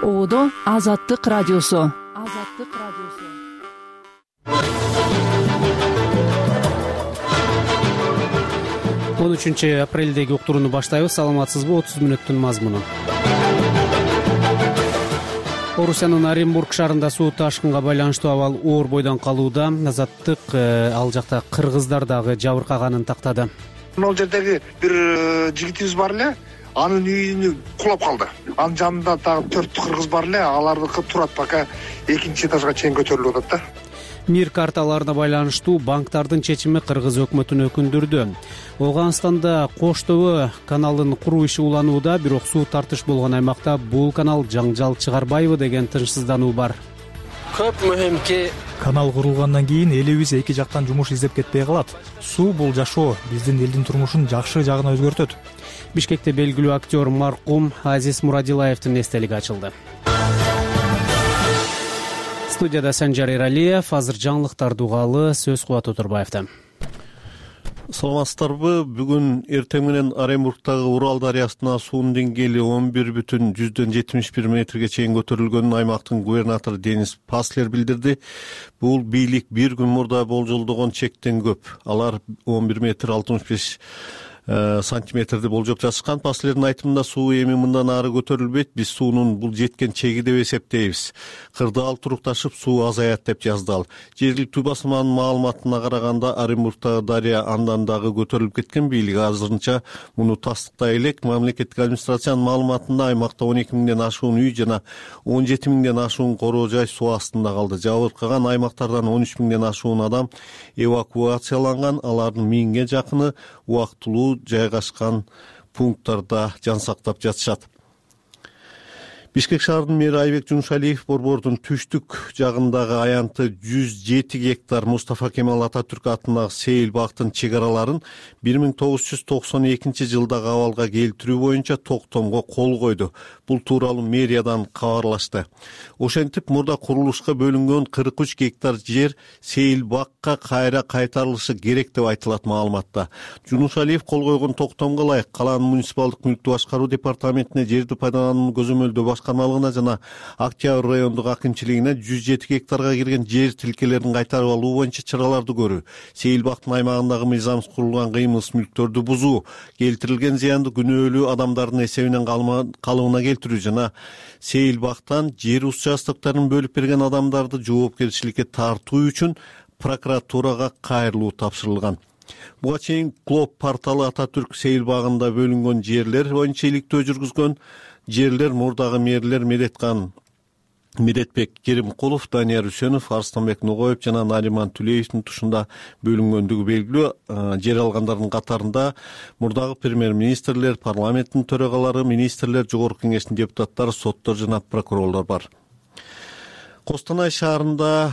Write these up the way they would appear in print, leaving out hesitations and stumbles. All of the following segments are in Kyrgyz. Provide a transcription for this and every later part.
Оодо Азаттык радиосу. 13 апрелдеги уктурууну баштайбыз. Саламатсызбы? 30 мүнөттүн мазмуну. Орусиянын Оренбург шаарында суу ташкынга байланыштуу абал оор бойдон калууда. Азаттык ал жакта кыргыздар дагы жабыркаганын тактады. Ал жердеги бир жигитибиз бар эле, анын үйүнө кулап калды. Анын жанында дагы 4 кыргыз бар эле, алардыкы турат, пока 2 этажга чейин көтөрүлүп атат да. Мир карталарына байланыштуу банктардын чечими кыргыз өкмөтүн өкүндүрдү. Ооганстанда Коштөбө каналын куруу иши уланууда, бирок суу тартыш болгон аймакта бул канал жаңжал чыгарбайбы деген тынчсыздануу бар. Көп мөһимки канал курулгандан кийин элибиз эки жактан жумуш издеп кетпей калат. Суу бул жашоо, биздин элдин турмушун жакшы жагына өзгөртөт. Бишкекте белгилүү актер маркум Азиз Мурадилаевдин эстелиги ачылды. Студияда Санжар Эралиев, азыр жаңылыктарды угалы, сөз Кубат Отурбаевда. Саламатсыздарбы? Бүгүн эртең менен Оренбургдагы Урал дарыясына суунун деңгээли 11,71 метрге чейин көтөрүлгөнүн аймактын губернатору Денис Паслер билдирди. Бул бийлик бир күн мурда болжолдогон чектен көп. Алар 11 метр 65 сантиметрди болжоп жатышкан. Паслердин айтымында суу эми мындан ары көтөрүлбөйт. Биз суунун бул жеткен чеги деп эсептейбиз. Кырдаал турукташып суу азаят деп жазды ал. Жергиликтүү басманын маалыматына караганда Оренбургдагы дарыя андан дагы көтөрүлүп кеткен. Бийлик азырынча муну тастыктай элек. Мамлекеттик администрациянын маалыматында аймакта 12 миңден ашуун үй жана 17 миңден ашуун короо жай суу астында калды. Жабыркаган аймактардан 13 миңден ашуун адам эвакуацияланган. Алардын 1000ге жакыны убактылуу жайгашкан пункттарда жан сактап жатышат. Бишкек шаарынын мэри Айбек Жунушалиев Борбордун түштүк жагындагы аянты 107 гектар Мустафа Кемал Ататүрк атындагы Сейил бактын чек араларын 1992 жылдагы абалга келтирүү боюнча токтомго кол койду. Бул тууралуу мэриядан кабарлашты. Ошентип мурда курулушка бөлүнгөн 43 гектар жер Сейил бакка кайра кайтарылышы керек деп айтылат маалыматта. Жунушалиев кол койгон токтомго ылайык калаанын муниципалдык мүлктү башкаруу департаментине жерди пайдаланууну көзөмөлдөө башкармалыгына жана Октябрь райондук акимчилигине 107 гектарга кирген жер тилкелерин кайтарып алуу боюнча чараларды көрүү, Сейил бактын аймагындагы мыйзамсыз курулган кыймылсыз мүлктөрдү бузуу, келтирилген зыянды күнөөлүү адамдардын эсебинен калыбына келтирүү жана Сейил бактан жер участоктарын бөлүп берген адамдарды жоопкерчиликке тартуу үчүн прокуратурага кайрылуу тапшырылган. Буга чейин Клоп порталы Ататүрк Сейил багында бөлүнгөн жерлер боюнча иликтөө жүргүзгөн. Жерлер мурдагы мэрлер Медетбек Керимкулов, Данияр Үсөнов, Арстанбек Ногоев жана Нариман Түлеевдин тушунда бөлүнгөндүгү белгилүү. Жер алгандардын катарында мурдагы премьер-министрлер, парламенттин төрагалары, министрлер, жогорку кеңештин депутаттары, соттор жана прокурорлор бар. Костанай шаарында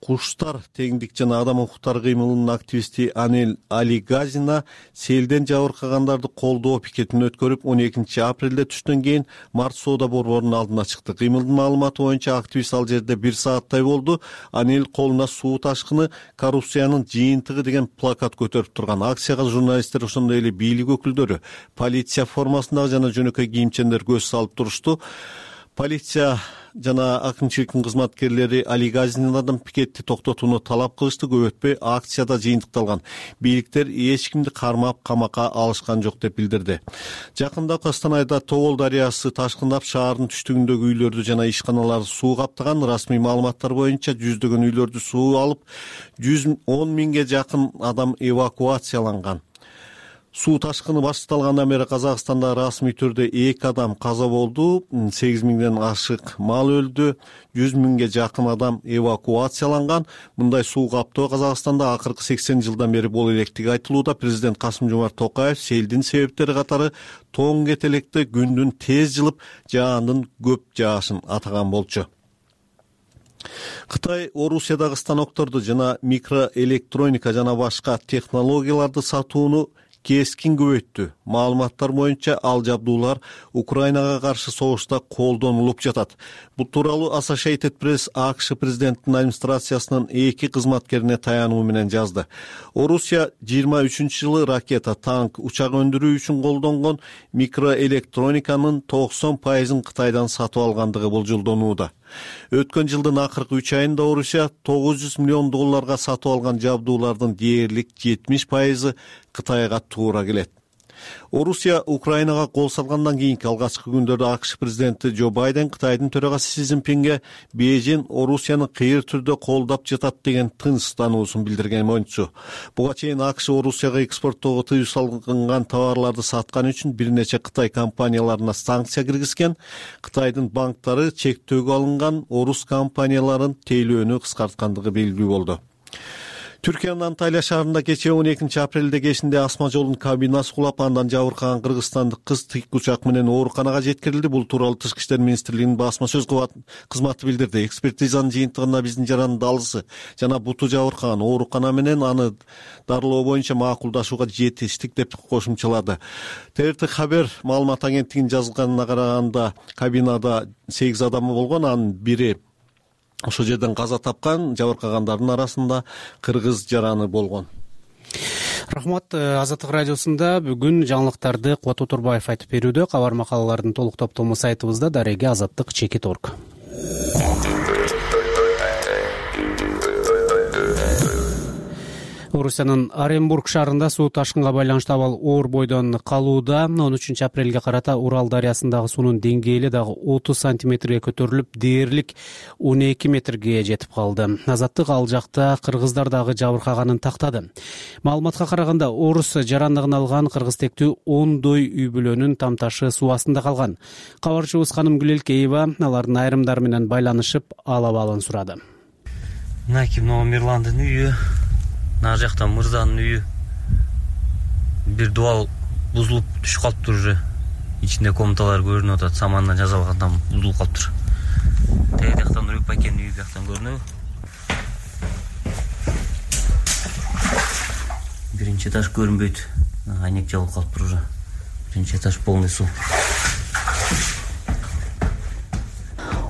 Куштар теңдик жана адам укуктары кыймылынын активисти Анель Алигазина селден жабыркагандарды колдоо пикетин өткөрүп 12 апрелде түштөн кийин Март соода борборунун алдына чыкты. Кыймылдын маалыматы боюнча активист ал жерде 1 сааттай болду. Анель колуна суу ташкыны коррупциянын жыйынтыгы деген плакат көтөрүп турган. Акцияга журналисттер, ошондой эле бийлик өкүлдөрү, полиция формасындагы жана жөнөкөй кийимчендер көз салып турушту. Полиция жана акимчиликтин кызматкерлери Алигазинадан пикетти токтотууну талап кылышты. Көп өтпөй акцияда жыйынтыкталган. Бийликтер эч кимди кармап камакка алышкан жок деп билдирди. Жакында Костанайда Тобол дарыясы ташкындап шаардын түштүгүндөгү үйлөрдү жана ишканаларды суу каптаган. Расмий маалыматтар боюнча жүздөгөн үйлөрдү суу алып, 110 миңге жакын адам эвакуацияланган. Суу ташкыны башталгандан бери Казакстанда расмий түрдө 2 адам каза болду, 8 миңден ашык мал өлдү, 100 миңге жакын адам эвакуацияланган. Мындай суу каптоо Казакстанда акыркы 80 жылдан бери боло электиги айтылууда. Президент Касым-Жомарт Токаев селдин себептери катары тоң кетелекте күндүн тез жылып, жаандын көп жаашын атаган болчу. Кытай Орусиядагы станокторду жана микроэлектроника жана башка технологияларды сатууну кескин көбөйттү. Маалыматтар боюнча ал жабдуулар Украинага каршы согушта колдонулуп жатат. Бул тууралуу Associated Press АКШ президентинин администрациясынын 2 кызматкерине таянуу менен жазды. Орусия 23-жылы ракета, танк, учак өндүрүү үчүн колдонгон микроэлектрониканын 90%-ын Кытайдан сатып алгандыгы болжолдонууда. Өткөн жылдын акыркы 3 айында Орусия $900 миллион сатып алган жабдуулардын дээрлик 70%-ы Кытайга туура келет. Орусия Украинага кол салгандан кийинки алгачкы күндөрдө АКШ президенти Джо Байден Кытайдын төрагасы Си Цзиньпинге Бейжин Орусияны кыйыр түрдө колдоп жатат деген тынч таануусун билдирген мончу. Буга чейин АКШ Орусияга экспорттоого тыюу салынган товарларды саткан үчүн бир нече Кытай компанияларына санкция киргизген. Кытайдын банктары чектөөгө алынган орус компанияларын тейлөөнү кыскарткандыгы белгилүү болду. Түркиянын Анталия шаарында кечээ 12 апрелде кечинде асма жолдун кабинасы кулап, андан жабыркаган кыргызстандык кыз тик учак менен ооруканага жеткирилди. Бул тууралуу Тышкы иштер министрлигинин басма сөз кызматы билдирди. Экспертизанын жыйынтыгында биздин жаранын далысы жана буту жабыркаган, оорукана менен аны дарылоо боюнча макулдашууга жетиштик деп кошумчалады. ТРТ Хабер маалымат агенттигинин жазганына караганда кабинада 8 адамы болгон, анын бири ошол жерден каза тапкан, жабыркагандардын арасында кыргыз жараны болгон. Рахмат. Азаттык радиосунда бүгүн жаңылыктарды Кубат Отурбаев айтып берүүдө. Кабар макалалардын толук топтому сайтыбызда дареги azаттык.org. Орусиянын Оренбург шаарында суу ташкынга байланыштуу абал оор бойдон калууда. 13 апрелге карата Урал дарыясындагы суунун деңгээли дагы 30 сантиметрге көтөрүлүп, дээрлик 12 метрге жетип калды. Азаттык ал жакта кыргыздар дагы жабыркаганын тактады. Маалыматка караганда орус жарандыгын алган кыргыз тектүү 10 үй бүлөнүн тамташы суу астында калган. Кабарчыбыз Канымгүл Элкеева алардын айрымдары менен байланышып, ал абалын сурады. Мына Мирландын үйү, нары жакта Мырзанын үйү. Бир дубал бузулуп түшүп калыптыр уже. Ичинде комнаталар көрүнүп атат, самандан жасалгандан бузулуп калыптыр. Тээ жактан Нурбек Бакенин үйү жактан көрүнөбү. Биринчи этаж көрүнбөйт. Айнек жабылып калыптыр уже. Биринчи этаж полный суу.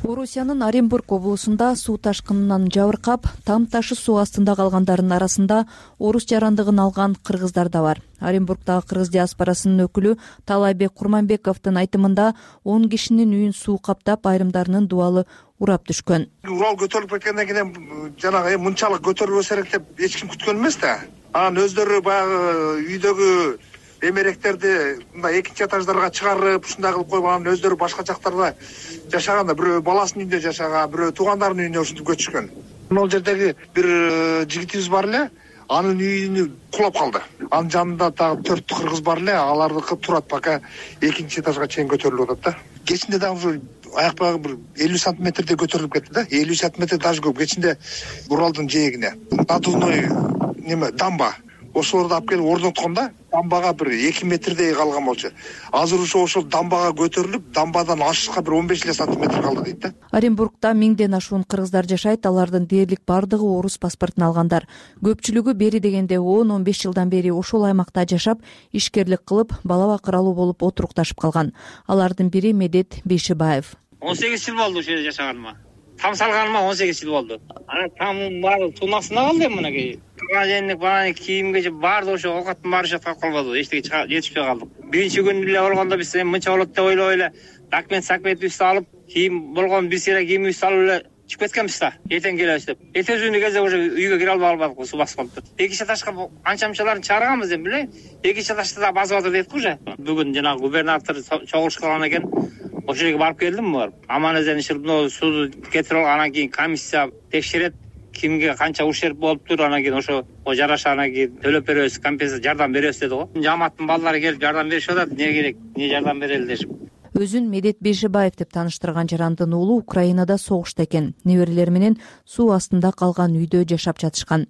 Орусиянын Оренбург облусунда суу ташкынынан жабыркап, там ташы суу астында калгандардын арасында орус жарандыгын алган кыргыздар да бар. Оренбургдагы кыргыз диаспорасынын өкүлү Талайбек Курманбековдун айтымында 10 кишинин үйүн суу каптап, айрымдарынын дубалы урап түшкөн. Урал көтөрүлүп кеткенден кийин жанагы мынчалык көтөрүлбөсө керек деп эч ким күткөн эмес да. Анан өздөрү баягы үйдөгү эмеректерди мындай экинчи этаждарга чыгарып, ушундай кылып коюп, анан өздөрү башка жактарда жашаганда, бирөө баласынын үйүндө жашаган, бирөө туугандарынын үйүнө ушинтип көчүшкөн. Могул жердеги бир жигитибиз бар эле, анын үйүнү кулап калды. Анын жанында дагы 4 кыргыз бар эле, алардыкы турат, пока экинчи этажга чейин көтөрүлүп атат да. Кечинде дагы ушу аяк багы бир 50 сантиметрдей көтөрүлүп кетти да. 50 сантиметр даже көп. Кечинде Уралдын жээгине надувной дамба ошолорду алып келип орноткондо, дамбага бир 2 метрдей калган болчу. Азыр ошол дамбага көтөрүлүп, дамбадан ашышка бир 15 сантиметр калды дейт да. Оренбургда 1000ден ашуун кыргыздар жашайт. Алардын дээрлик бардыгы орус паспортун алгандар. Көпчүлүгү бери дегенде 10-15 жылдан бери ошол аймакта жашап, ишкерлик кылып, бала бакыралуу болуп отурукташып калган. Алардын бири Медет Бейшибаев. 18 жыл болду ошол жерде жашаганыма. Там салганыма 18 жыл болду. Анан тамдын баары суунун астында калды мынакей. Туган бааны кийимге баарды ошо оокаттын баары жаткап калбады. Эчтеге жетишпей калдык. Биринчи күнү эле болгондо биз мынча болот деп ойлоп эле документибизди алып, кийим болгон бир сыйра кийимибизди алып эле чыгып кеткенбиз да. Эртең келебиз деп. Эртеңки кезде уже үйгө кире албай калбадык, суу басып калыптыр. Экинчи этажга анча-мынчаларын чыгарганбыз эми биле. Экинчи этажда да басып атыр дейт уже. Бүгүн жанагы губернатор чогулушкан экен. Ошол жерге барып келдим бар. Аман-эсен ишип, сууну кетирип алгандан кийин комиссия текшерет, кимге канча ушерп болуптур, анан кийин ошо жараша анан кийин төлөп беребиз, компенсация жардам беребиз деди го. Жамааттын балдары келип жардам беришип атат, эмне керек, эмне жардам берели дешип. Өзүн Медет Бейшибаев деп тааныштырган жарандын уулу Украинада согушта экен. Неберелери менен суу астында калган үйдө жашап жатышкан.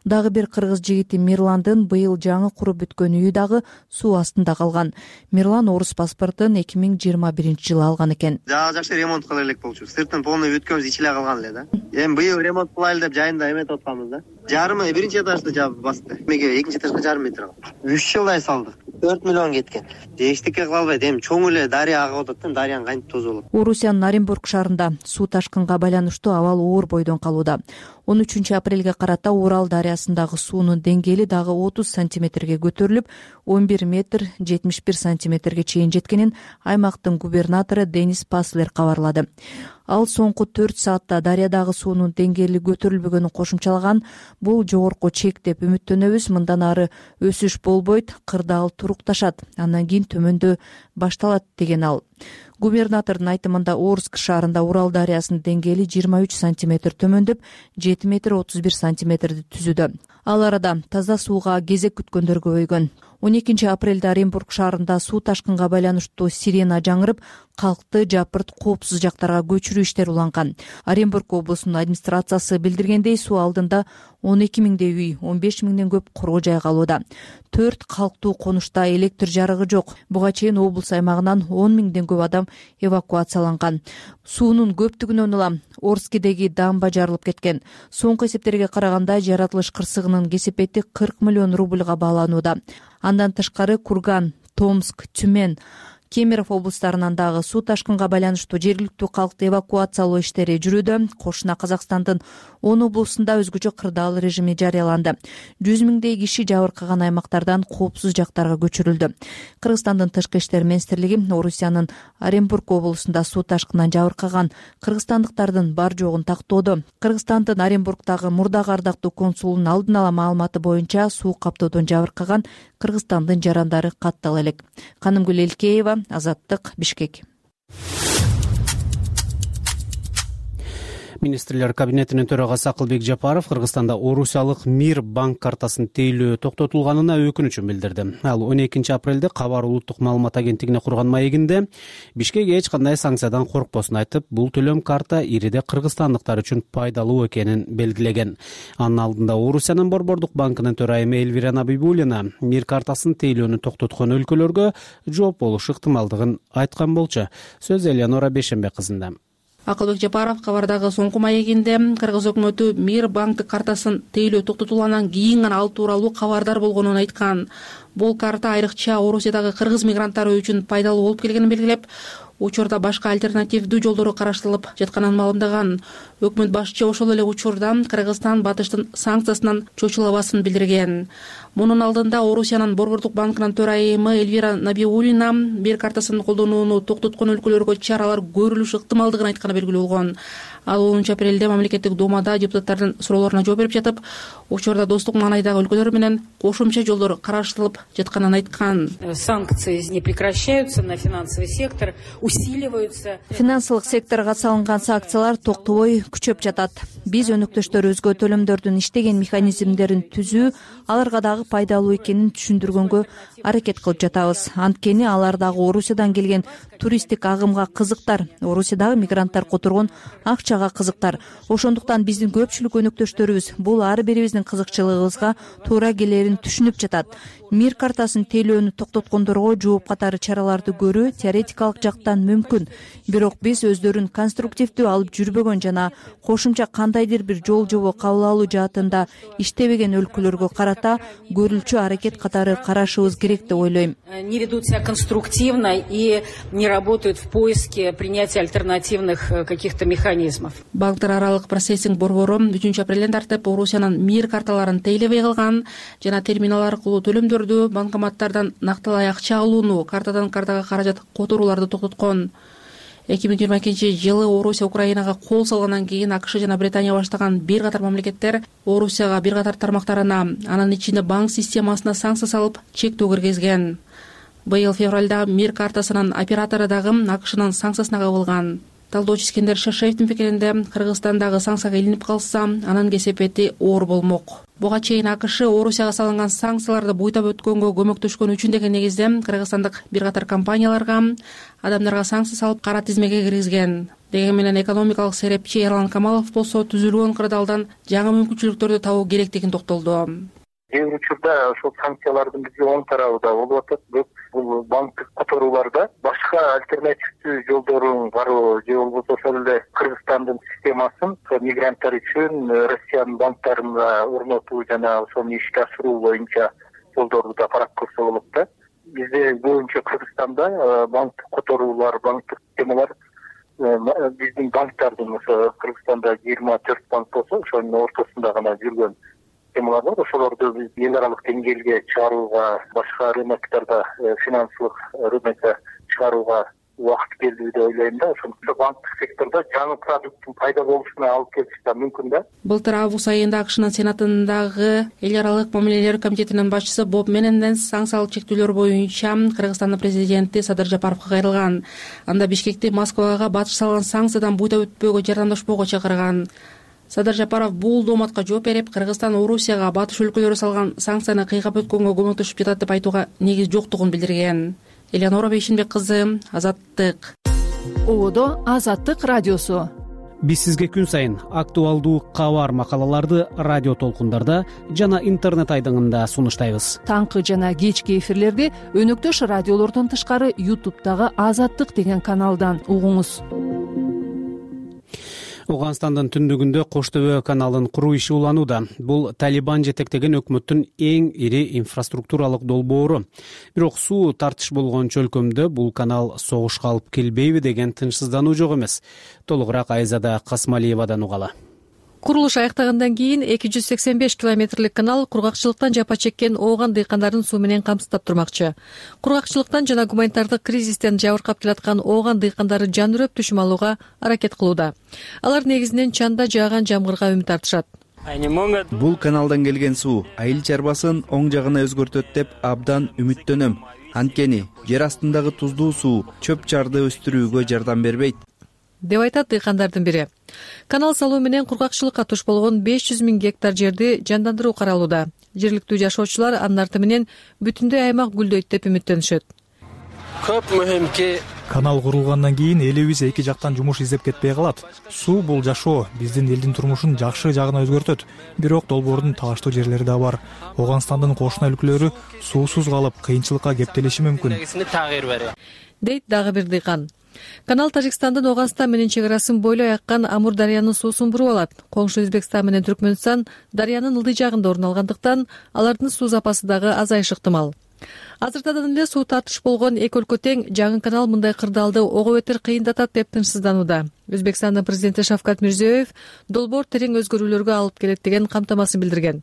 Дагы бир кыргыз жигити Мирландын быйыл жаңы куруп бүткөн үйү дагы суу астында калган. Мирлан орус паспортун 2021-жылы алган экен. Жакшы ремонт кыла элек болчу. Сыртын полный бүткөнбүз, ичиле калган эле да. Эми быйыл ремонт кылайлы деп жайында эметип атканбыз да. жарымы биринчи этажды жаап басты. Эмеге экинчи этажга жарым метр калды. 3 жылдай салдык. 4 миллион кеткен. Эчтеке кыла албайт. Эми чоң эле дарыя агып атат да, дарыянын кантип тосуп алат. Орусиянын Оренбург шаарында суу ташкынга байланыштуу абал оор бойдон калууда. 13 апрелге карата Урал дарыясындагы суунун деңгээли дагы 30 сантиметрге көтөрүлүп, 11 метр 71 сантиметрге чейин жеткенин аймактын губернатору Денис Паслер кабарлады. Ал соңку 4 саатта дарыядагы суунун деңгээли көтөрүлбөгөнүн кошумчалаган. Бул жогорку чек деп үмүттөнөбүз. Мындан ары өсүш болбойт, кырдаал турукташат, андан кийин төмөндөө башталат деген ал. Губернатордун айтымында Орск шаарында Урал дарыясынын деңгээли 23 сантиметр төмөндөп, 7 метр 31 сантиметрди түзүүдө. Ал арада таза сууга кезек күткөндөр көбөйгөн. 12 апрелде Оренбург шаарында суу ташкынга байланыштуу сирена жаңырып, калкты жапырт коопсуз жактарга көчүрүү иштери уланган. Оренбург облусунун администрациясы билдиргендей, суу алдында 12 миңдей үй, 15 миңден көп короо жай калууда. 4 калктуу конушта электр жарыгы жок. Буга чейин облус аймагынан 10 миңден көп адам эвакуацияланган. Суунун көптүгүнөн улам Орскидеги дамба жарылып кеткен. Соңку эсептерге караганда жаратылыш кырсыгынын кесепети 40 миллион рубльга бааланууда. Андан тышкары Курган, Томск, Тюмень, Кемерово облустарынан дагы суу ташкынга байланыштуу жергиликтүү калкты эвакуациялоо иштери жүрүүдө. Кошуна Казакстандын 10 облусунда өзгөчө кырдаал режими жарыяланды. 100 миңдей киши жабыркаган аймактардан коопсуз жактарга көчүрүлдү. Кыргызстандын тышкы иштер министрлиги Орусиянын Оренбург облусунда суу ташкынынан жабыркаган кыргызстандыктардын бар жогун тактоодо. Кыргызстандын Оренбургдагы мурдагы ардактуу консулунун алдын ала маалыматы боюнча суу каптоодон жабыркаган Кыргызстандын жарандары каттала элек. Канымгүл Элкеева, Азаттык, Бишкек. Министрлер кабинетинин төрагасы Акылбек Жапаров Кыргызстанда Орусиялык Мир банк картасын тейлөө токтотулганына өкүнүчүн билдирди. Ал 12 апрелде Кабар улуттук маалымат агенттигине курган маегинде Бишкек эч кандай санкциядан коркпосун айтып, бул төлөм карта ириде кыргызстандыктар үчүн пайдалуу экенин белгилеген. Анын алдында Орусиянын Борбордук банкынын төрайымы Элвира Набибуллина Мир картасын тейлөөнү токтоткон өлкөлөргө жооп болуш ыктымалдыгын айткан болчу. Сөз Элеонора Бешенбек кызында. Акылбек Жапаров кабардагы соңку маегинде Кыргыз өкмөтү Мир банк картасын тейлөө токтотулгандан кийин гана ал тууралуу кабардар болгонун айткан. Бул карта айрыкча Орусиядагы кыргыз мигранттары үчүн пайдалуу болуп келгенин белгилеп, учурда башка альтернативдүү жолдору караштырылып жатканын маалымдаган. Өкмөт башчы ошол эле учурда Кыргызстан батыштын санкциясынан чочулабасын билдирген. Мунун алдында Орусиянын Борбордук банкынын төрайымы Элвира Набибуллина Мир картасын колдонууну токтоткон өлкөлөргө чаралар көрүлүш ыктымалдыгын айтканы белгилүү болгон. Ал 10 апрелде мамлекеттик думада депутаттардын суроолоруна жооп берип жатып, учурда достук маанайдагы өлкөлөр менен кошумча жолдор караштырылып жатканын айткан. Санкции не прекращаются на финансовый сектор, усиливаются. Финансылык секторго салынган санкциялар токтобой күчөп жатат. Биз өнөктөштөрүбүзгө төлөмдөрдүн иштеген механизмдерин түзүү, аларга дагы пайдалуу экенин түшүндүргөнгө аракет кылып жатабыз. Анткени алар дагы Орусиядан келген туристтик агымга кызыктар, Орусиядагы мигранттар которгон акчага кызыктар. Ошондуктан биздин көпчүлүк өнөктөштөрүбүз бул ар бирибиздин кызыкчылыгыбызга туура келерин түшүнүп жатат. Мир картасын тейлөөнү токтоткондорго жооп катары чараларды көрүү теоретикалык жактан мүмкүн. Бирок биз өздөрүн конструктивдүү алып жүрбөгөн жана кошумча кандайдыр бир жол жобо кабыл алуу жаатында иштебеген өлкөлөргө карата көрүлчү аракет катары карашыбыз керек деп ойлойм. Не ведут себя конструктивно и не работают в поиске принятия альтернативных каких-то механизмов. Банктар аралык процессинг борбору 3 апрелден тартып Орусиянын Мир карталарын тейлебей калган жана терминал аркылуу төлөмдөрдү банкоматтардан накталай акча алууну, картадан картага каражат которууларды токтоткон. 2022 жылы Орусия Украинага кол салгандан кийин АКШ жана Британия баштаган бир катар мамлекеттер Орусияга бир катар тармактарына, анын ичинде банк системасына санкция салып, чектөө киргизген. Быйыл февралда Мир картасынын оператору дагы АКШнын санкциясына кабылган. Талдоочу Искендер Шашеевдин пикиринде, Кыргызстандагы санкцияга илинип калса, анын кесепети оор болмок. Буга чейин АКШ Орусияга салынган санкцияларды буйтап өткөнгө көмөктөшкөн үчүн деген негизде кыргызстандык бир катар компанияларга, адамдарга санкция салып кара тизмеге киргизген. Деген менен экономикалык серепчи Эрлан Камалов болсо түзүлгөн кырдаалдан жаңы мүмкүнчүлүктөрдү табуу керектигин токтолду. Кээ бир учурда ошол санкциялардын бизге оң тарабы да болуп атат, бирок бул банктык которууларда башка альтернативдүү жолдорун баруу же болбосо ошол эле Кыргызстандын системасын мигранттар үчүн Россиянын банктарына орнотуу жана ошону ишке ашыруу боюнча жолдорду да карап көрсө болот да. Бизде боюнча Кыргызстанда банктык которуулар, банктык системалар биздин банктардын ошо Кыргызстанда 24 банк болсо ошонун ортосунда гана жүргөн системалар бар. Ошолорду биз эл аралык деңгээлге чыгарууга, башка рыноктарда финансылык рынокко чыгарууга убакыт келди деп ойлойм да. Ошондуктан банктык сектордо жаңы продукттун пайда болушуна алып келиши да мүмкүн да. Былтыр август айында АКШнын Сенатындагы эл аралык мамилелер комитетинин башчысы Боб Мененден санкциялык чектөөлөр боюнча Кыргызстандын президенти Садыр Жапаровго кайрылган. Анда Бишкекти Москвага батыш салган санкциядан буйда өтпөөгө жардамдашпоого чакырган. Садыр Жапаров бул дооматка жооп берип, Кыргызстан Орусияга батыш өлкөлөрү салган санкцияны кыйгап өткөнгө көмөктөшүп жатат деп айтууга негиз жоктугун билдирген. Элеонора Бейшенбек кызы, Азаттык. Одо Азаттык радиосу. Биз сизге күн сайын актуалдуу кабар макалаларды радио толкундарда жана интернет айдыңында сунуштайбыз. Таңкы жана кечки эфирлерди өнөктөш радиолордон тышкары YouTube'дагы Азаттык деген каналдан угуңуз. Ооганстандын түндүгүндө Коштөбө каналын куруу иши уланууда. Бул Талибан жетектеген өкмөттүн эң ири инфраструктуралык долбоору. Бирок суу тартыш болгон чөлкөмдө бул канал согушка алып келбейби деген тынчсыздануу жок эмес. Толугураак Айзада Касмалиевадан угалы. Курулуш аяктагандан кийин 285 километрлик канал кургакчылыктан жапа чеккен Ооган дыйкандарын суу менен камсыздап турмакчы. Кургакчылыктан жана гуманитардык кризистен жабыркап келаткан Ооган дыйкандары жан үрөп түшүм алууга аракет кылууда. Алар негизинен чанда жааган жамгырга үмүт артышат. Бул каналдан келген суу айыл чарбасын оң жагына өзгөртөт деп абдан үмүттөнөм. Анткени жер астындагы туздуу суу чөп чарды өстүрүүгө жардам бербейт деп айтат дыйкандардын бири. Канал салуу менен кургакчылыкка туш болгон 500 000 гектар жерди жандандыруу каралууда. Жергиликтүү жашоочулар анын арты менен бүтүндөй аймак гүлдөйт деп үмүттөнүшөт. Көп мөһим ки канал курулгандан кийин элибиз эки жактан жумуш издеп кетпей калат. Суу бул жашоо, биздин элдин турмушун жакшы жагына өзгөртөт. Бирок долбоордун талаштуу жерлери да бар. Ооганстандын кошуна өлкөлөрү суусуз калып, кыйынчылыкка кептелиши мүмкүн. Дейт дагы бир дыйкан. Канал Тажикстандын Ооганстан менен чек арасын бойлой аккан Амур дарыянын суусун буруп алат. Коңшу Өзбекстан менен Түркмөнстан дарыянын ылдый жагында орун алгандыктан алардын суу запасы дагы азайышы ыктымал. Азыртадан эле суу тартыш болгон эки өлкө тең, жаңы канал мындай кырдаалды ого бетер кыйындатат деп тынчсызданууда. Өзбекстандын президенти Шавкат Мирзиёев долбоор терең өзгөрүүлөргө алып келет деген камтамасын билдирген.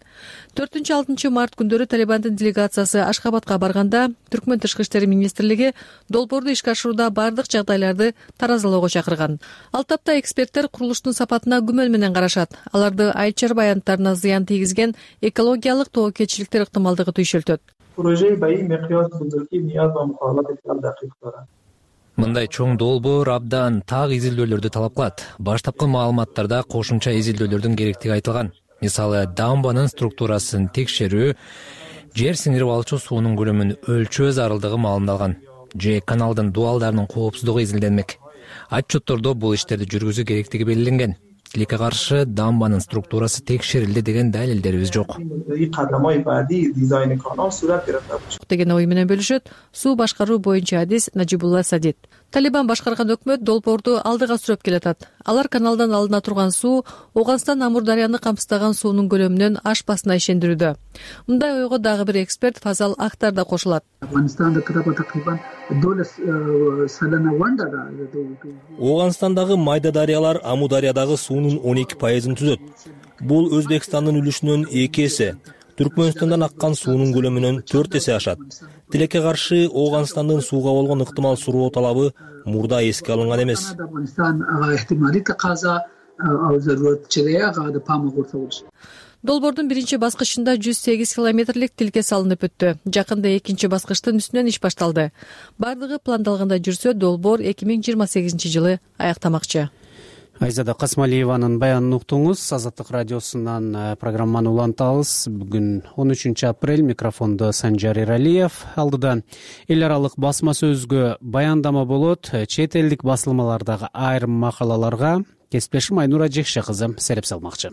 4-6 март күндөрү Талибандын делегациясы Ашхабадка барганда Түркмөн тышкы иштери министрлиги долбоорду ишке ашырууда бардык жагдайларды таразалоого чакырган. Ал тапта эксперттер курулуштун сапатына күмөн менен карашат. Аларды айыл чарба аянттарына зыян тийгизген экологиялык тобокелчиликтер ыктымалдыгы түйшөлтөт. Мындай чоң долбоор абдан так изилдөөлөрдү талап кылат. Баштапкы маалыматтарда кошумча изилдөөлөрдүн керектиги айтылган. Мисалы, дамбанын структурасын текшерүү, жер сиңирип алчу суунун көлөмүн өлчөө зарылдыгы маалымдалган. Же каналдын дуалдарынын коопсуздугу изилденмек. Отчеттордо бул иштерди жүргүзүү керектиги белгиленген. Тилекке каршы дамбанын структурасы текшерилди деген далилдерибиз жок. Деген ой менен бөлүшөт суу башкаруу боюнча адис Нажибулла Садид. Талибан башкарган өкмөт долбоорду алдыга сүрөп келатат. Алар каналдан алына турган суу Ооганстан Амур дарыяны камсыздаган суунун көлөмүнөн ашпасына ишендирүүдө. Мындай ойго дагы бир эксперт Фазал Актар да кошулат. Ооганстандагы майда дарыялар Амур дарыядагы суунун 12%-ын түзөт. Бул Өзбекстандын үлүшүнөн 2 эсе, Түркмөнстандан аккан суунун көлөмүнөн 4 эсе ашат. Тилекке каршы Ооганстандын сууга болгон ыктымал суроо талабы мурда эске алынган эмес. Долбоордун биринчи баскычында 108 километрлик тилке салынып өттү. Жакында экинчи баскычтын үстүнөн иш башталды. Бардыгы пландалгандай жүрсө, долбоор 2028 жылы аяктамакчы. Айзада Касмалиеванын баянын уктуңуз. Азаттык радиосунан программаны улантабыз. Бүгүн 13 апрель, микрофондо Санжар Эралиев. Алдыда эл аралык басма сөзгө баяндама болот. Чет элдик басылмалардагы айрым макалаларга кесиптешим Айнура Жекше кызы сереп салмакчы.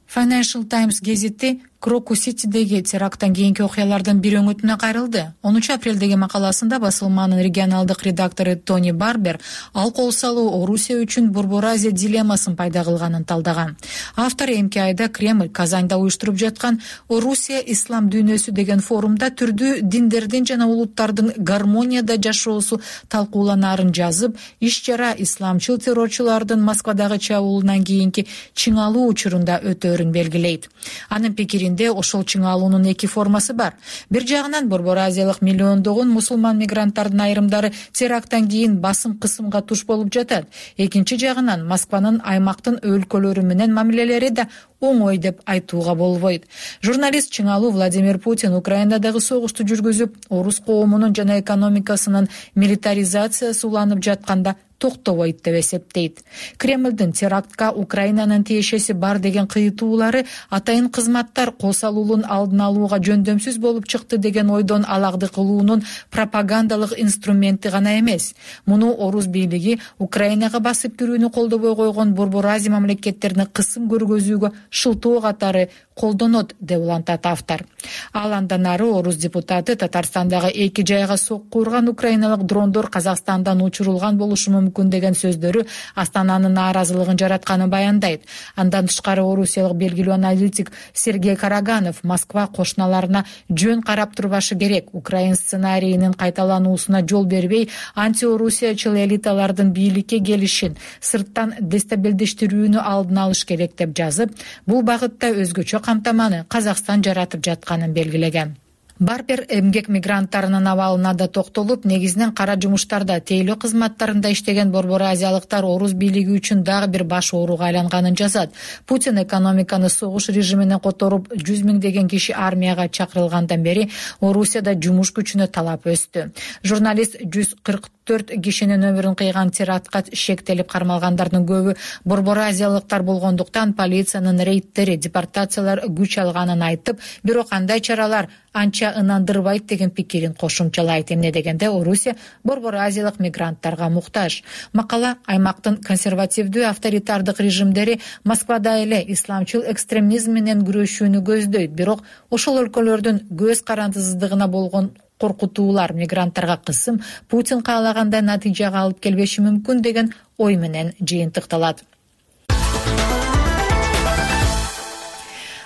Financial Times гезити Крокус-Ситидеги теракттан кийинки окуялардын бир өңүтүнө кайрылды. 10 апрелдеги макаласында басылманын регионалдык редактору Тони Барбер ал кол салуу Орусия үчүн Борбор Азия дилеммасын пайда кылганын талдаган. Автор эмки айда Кремль Казанда уюштуруп жаткан Орусия ислам дүйнөсү деген форумда түрдүү диндердин жана улуттардын гармонияда жашоосу талкууланаарын жазып, иш-чара исламчыл террорчулардын Москвадагы чабуулунан кийинки чыңалуу учурунда өтөөрүн белгилейт. Анын пикиринде ошол чыңалуунун эки формасы бар. Бир жагынан Борбор Азиялык миллиондогон мусулман мигранттардын айрымдары теракттан кийин басым кысымга туш болуп жатат. Экинчи жагынан Москванын аймактын өлкөлөрү менен мамилелери да оңой деп айтууга болбойт. Журналист чыңалуу Владимир Путин Украинадагы согушту жүргүзүп, орус коомунун жана экономикасынын милитаризациясы уланып жатканда токтобойт деп эсептейт. Кремлдин терактка Украинанын тиешеси бар деген кыйтуулары атайын кызматтар кол салуунун алдын алууга жөндөмсүз болуп чыкты деген ойдон алагды кылуунун пропагандалык инструменти гана эмес. Муну орус бийлиги Украинага басып кирүүнү колдобой койгон Борбор Азия мамлекеттерине кысым көргөзүүгө шылтоо катары колдонот деп улантат автор. Ал андан ары орус депутаты Татарстандагы эки жайга сокку урган украиналык дрондор Казакстандан учурулган болушу мүмкүн деген сөздөрү Астананын нааразылыгын жаратканын баяндайт. Андан тышкары орусиялык белгилүү аналитик Сергей Караганов Москва кошуналарына жөн карап турбашы керек, Украин сценарийинин кайталануусуна жол бербей, антиорусиячыл элиталардын бийликке келишин, сырттан дестабилдештирүүнү алдын алыш керек деп жазып, бул багытта өзгөчө камтаманы Казакстан жаратып жатканын белгилеген. Барбер эмгек мигранттарынын абалына да токтолуп, негизинен кара жумуштарда, тейлөө кызматтарында иштеген борбор азиялыктар орус бийлиги үчүн дагы бир баш ооруга айланганын жазат. Путин экономиканы согуш режимине которуп, 100 миңдеген киши армияга чакырылгандан бери Орусияда жумуш күчүнө талап өстү. Журналист 144 кишинин өмүрүн кыйган терактка шектелип кармалгандардын көбү борбор азиялыктар болгондуктан полициянын рейдтери, депортациялар күч алганын айтып, бирок кандай чаралар анча ынандырбайт деген пикирин кошумчалайт. Эмне дегенде Орусия борбор азиялык мигранттарга муктаж. Макала аймактын консервативдүү авторитардык режимдери Москвада эле исламчыл экстремизм менен күрөшүүнү көздөйт, бирок ошол өлкөлөрдүн көз карандысыздыгына болгон коркутуулар мигранттарга кысым Путин каалагандай натыйжага алып келбеши мүмкүн деген ой менен жыйынтыкталат.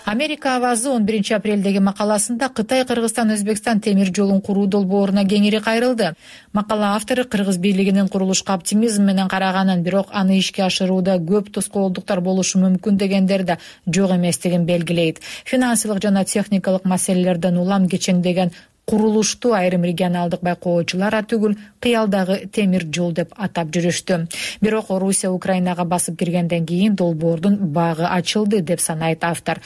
Америка авазы 11 апрелдеги макаласында Кытай, Кыргызстан, Өзбекстан темир жолун куруу долбооруна кеңири кайрылды. Макала автору Кыргыз бийлигинин курулушка оптимизм менен караганын, бирок аны ишке ашырууда көп тоскоолдуктар болушу мүмкүн дегендер да жок эместигин белгилейт. Финансылык жана техникалык маселелерден улам кечеңдеген курулушту айрым регионалдык байкоочулар түгүл кыялдагы темир жол деп атап жүрүштү. Бирок Орусия Украинага басып киргенден кийин долбоордун багы ачылды деп санайт автор.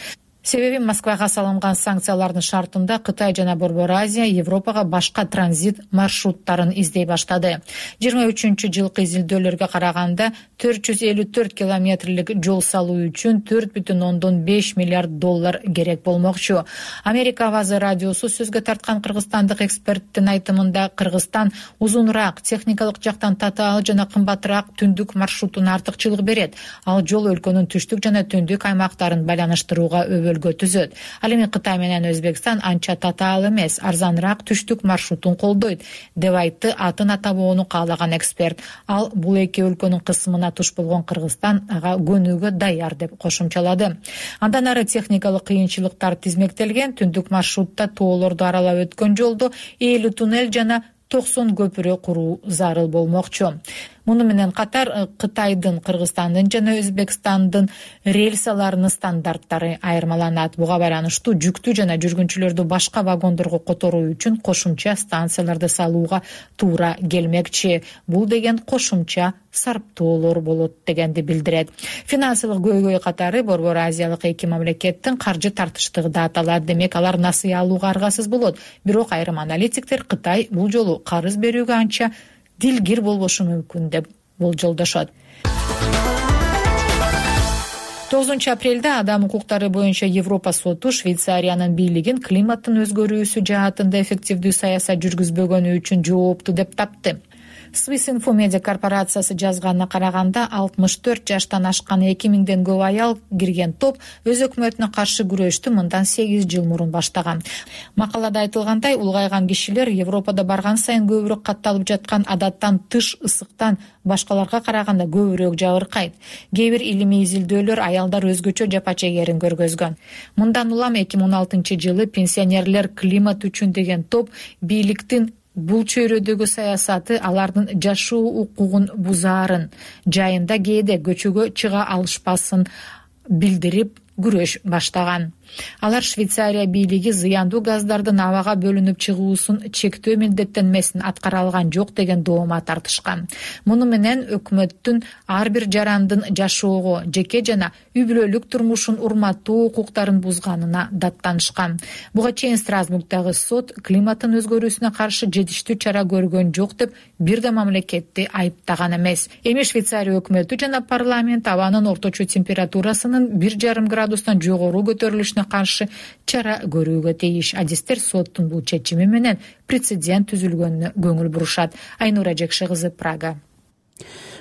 Себеби Москвага салынган санкциялардын шартында Кытай жана Борбор Азия Европага башка транзит маршруттарын издей баштады. 23-жылкы изилдөөлөргө караганда 454 километрлик жол салуу үчүн 4,5 миллиард доллар керек болмокчу. Америка авазы радиосу сөзгө тарткан кыргызстандык эксперттин айтымында Кыргызстан узунураак, техникалык жактан татаал жана кымбатыраак түндүк маршрутуна артыкчылык берет. Ал жол өлкөнүн түштүк жана түндүк аймактарын байланыштырууга түзөт. Ал эми Кытай менен Өзбекстан анча татаал эмес, арзаныраак түштүк маршрутун колдойт, деп айтты атын атабоону каалаган эксперт. Ал бул эки өлкөнүн кысымына туш болгон Кыргызстан ага көнүүгө даяр деп кошумчалады. Андан ары техникалык кыйынчылыктар тизмектелген, түндүк маршрутта тоолорду аралап өткөн жолдо 50 туннель жана 90 көпүрө куруу зарыл болмокчу. Муну менен катар Кытайдын, Кыргызстандын жана Өзбекстандын рельсаларынын стандарттары айырмаланат. Буга байланыштуу жүктүү жана жүргүнчүлөрдү башка вагондорго которуу үчүн кошумча станцияларды салууга туура келмекчи. Бул деген кошумча сарптоолор болот дегенди билдирет. Финансылык көйгөй катары Борбор Азиялык эки мамлекеттин каржы тартыштыгы да аталат. Демек алар насыя алууга аргасыз болот. Бирок айрым аналитиктер Кытай бул жолу карыз берүүгө анча дилгир болбошу мүмкүн деп болжолдошот. 9 апрелде адам укуктары боюнча Европа соту Швейцариянын бийлигин климаттын өзгөрүүсү жаатында эффективдүү саясат жүргүзбөгөнү үчүн жоопту деп тапты. Swiss Info Media корпорациясы жазганына караганда 64 жаштан ашкан 2000ден көп аял кирген топ өз өкмөтүнө каршы күрөштү мындан 8 жыл мурун баштаган. Макалада айтылгандай, улгайган кишилер Европада барган сайын көбүрөөк катталып жаткан адаттан тыш ысыктан башкаларга караганда көбүрөөк жабыркайт. Кээ бир илимий изилдөөлөр аялдар өзгөчө жапа чегерин көргөзгөн. Мындан улам 2016-жылы пенсионерлер климат үчүн деген топ бийликтин бул чөйрөдөгү саясаты алардын жашоо укугун бузаарын, жайында кээде көчөгө чыга алышпасын билдирип күрөш баштаган. Алар Швейцария бийлиги зыяндуу газдардын абага бөлүнүп чыгуусун чектөө милдеттенмесин аткара алган жок деген доомат тартышкан. Муну менен өкмөттүн ар бир жарандын жашоого, жеке жана үй бүлөлүк турмушун урматтоо укуктарын бузганына даттанышкан. Буга чейин Страсбургдагы сот климаттын өзгөрүүсүнө каршы жетиштүү чара көргөн жок деп бир да мамлекетти айыптаган эмес. Эми Швейцария өкмөтү жана парламент абанын орточо температурасынын 1,5 градустан жогору көтөрүлүшүнө каршы чара көрүүгө тийиш. Адистер соттун бул чечими менен прецедент түзүлгөнүнө көңүл бурушат. Айнура Жекши кызы, Прага.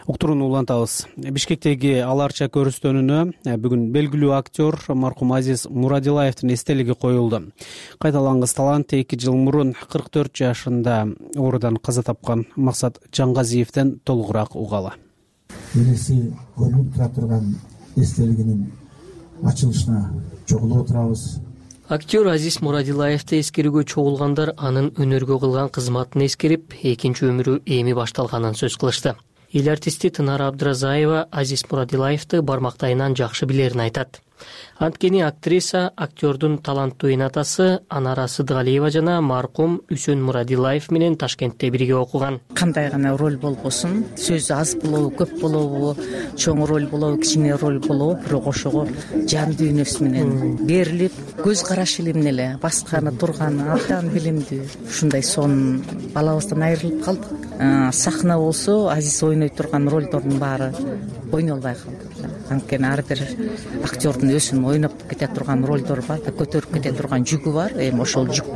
Уктурууну улантабыз. Бишкектеги аларча көрүстөнүнө бүгүн белгилүү актер маркум Азиз Мурадилаевдин эстелиги коюлду. Кайталангыс талант 2 жыл мурун 44 жашында оорудан каза тапкан Максат Жангазиевден толугураак угалы. Элеси көрүнүп тура турган эстелигинин ачылышына чогулуп отурабыз. Актер Азиз Мурадилаевди эскерүүгө чогулгандар анын өнөргө кылган кызматын эскерип, экинчи өмүрү эми башталганын сөз кылышты. Эл артисти Тынар Абдыразаева Азиз Мурадилаевди бармактайынан жакшы билерин айтат. Анткени актриса актердун таланттуу энатасы Анара Сыдыгалиева жана маркум Үсөн Мурадилаев менен Ташкентте бирге окуган. Кандай гана роль болбосун, сөзү аз болобу, көп болобу, чоң роль болобу, кичине роль болобу, бирок ошого жан дүйнөсү менен берилип, көз карашы эле эмне эле, басканы, турганы абдан билимдүү. Ушундай сонун балабыздан айрылып калдык. Сахна болсо Азиз ойной турган ролдордун баары ойной албай калды. Анткени ар бир актердун өзүнүн ойноп кете турган ролдору бар, көтөрүп кете турган жүгү бар. Эми ошол жүк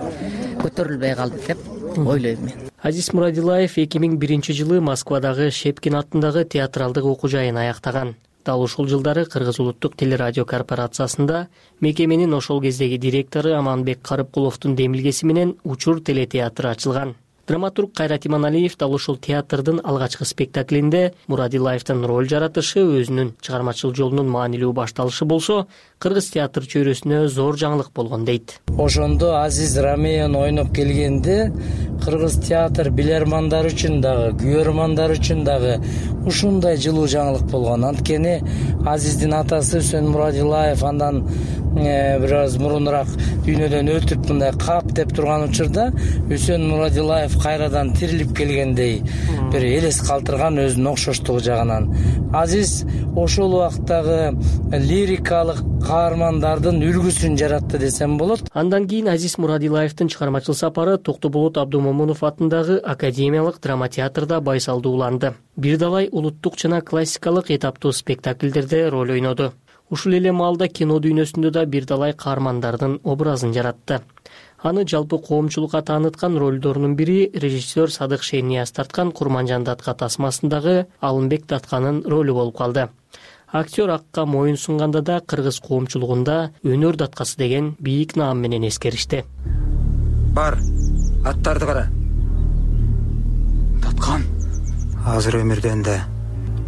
көтөрүлбөй калды деп ойлойм мен. Азиз Мурадилаев 2001-жылы Москвадагы Шепкин аттындагы театралдык окуу жайын аяктаган. Дал ушул жылдары Кыргыз улуттук телерадио корпорациясында мекеменин ошол кездеги директору Аманбек Карыпкуловдун демилгеси менен Учур телетеатры ачылган. Драматург Кайрат Иманалиев дал ушул театрдын алгачкы спектаклинде Мурадилаевдин роль жаратышы өзүнүн чыгармачыл жолунун маанилүү башталышы болсо, кыргыз театр чөйрөсүнө зор жаңылык болгон дейт. Ошондо Азиз Рамеян ойноп келгенде кыргыз театр билермандар үчүн дагы, күйөрмандар үчүн дагы ушундай жылуу жаңылык болгон. Анткени Азиздин атасы Үсөн Мурадилаев андан бир аз мурунураак дүйнөдөн өтүп мындай кап деп турган учурда Үсөн Мурадилаев кайрадан тирилип келгендей бир элес калтырган өзүнүн окшоштугу жагынан. Азиз ошол убактагы лирикалык каармандардын үлгүсүн жаратты десем болот. Андан кийин Азиз Мурадилаевдин чыгармачыл сапары Токтоболот Абдумомунов атындагы Академиялык драма театрда байсалдуу уланды. Бир далай улуттук жана классикалык этаптуу спектакльдерде роль ойноду. Ушул эле маалда кино дүйнөсүндө да бир далай каармандардын образын жаратты. Аны жалпы коомчулукка тааныткан ролдорунун бири режиссер Садык Шейнияз тарткан Курманжан датка тасмасындагы Алымбек Датканын ролу болуп калды. Актер акка моюн сунганда да кыргыз коомчулугунда өнөр даткасы деген бийик наам менен эскеришти. Бар, аттарды кара. Даткан азыр өмүрдөн да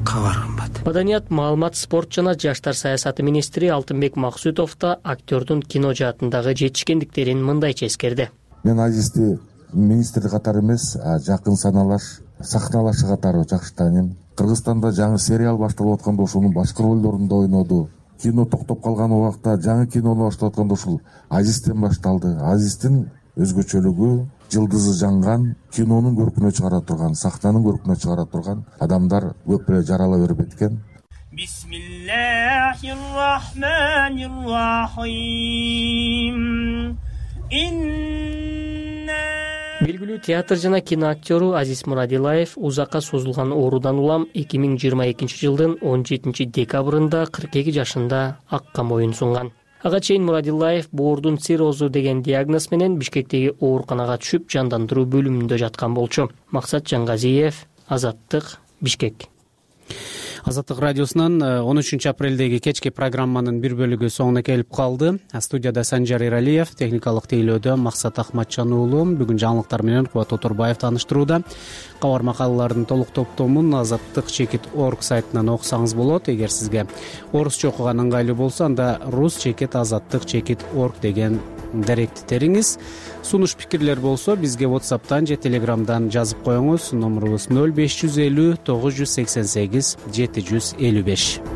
кабар кымбат. Маданият, маалымат, спорт жана жаштар саясаты министри Алтынбек Максутов да актердун кино жаатындагы жетишкендиктерин мындайча эскерди. Мен Азизди министр катары эмес, жакын саналаш, сахналашы катары жакшы тааныйм. Кыргызстанда жаңы сериал башталып атканда ошонун башкы ролдорунда ойноду. Кино токтоп калган убакта жаңы кинону баштап атканда ушул Азизден башталды. Азиздин өзгөчөлүгү жылдызы жанган, кинонун көркүнө чыгара турган, сахнанын көркүнө чыгара турган адамдар көп эле жарала берип экен. Бисмиллахир-рахманир-рахим. Белгилүү театр жана кино актеру Азиз Мурадилаев узакка созулган оорудан улам 2022 жылдын 17 декабрында 42 жашында акка моюн сунган. Ага чейин Мурадилаев боордун циррозу деген диагноз менен Бишкектеги ооруканага түшүп жандандыруу бөлүмүндө жаткан болчу. Максат Жангазиев, Азаттык, Бишкек. Азаттык радиосунан 13 апрелдеги кечки программанын бир бөлүгү соңуна келип калды. Студияда Санжар Иралиев, техникалык тейлөөдө Максат Ахматжан уулу. Бүгүн жаңылыктар менен Кубат Отурбаев тааныштырууда. Кабар макалалардын толук топтомун azattik.org сайтынан окусаңыз болот. Эгер сизге орусча окуган ыңгайлуу болсо, анда rus.azattik.org деген даректи териңиз. Сунуш пикирлер болсо бизге WhatsApp'тан же Telegram'дан жазып коюңуз. Номерубуз 0550 988 755.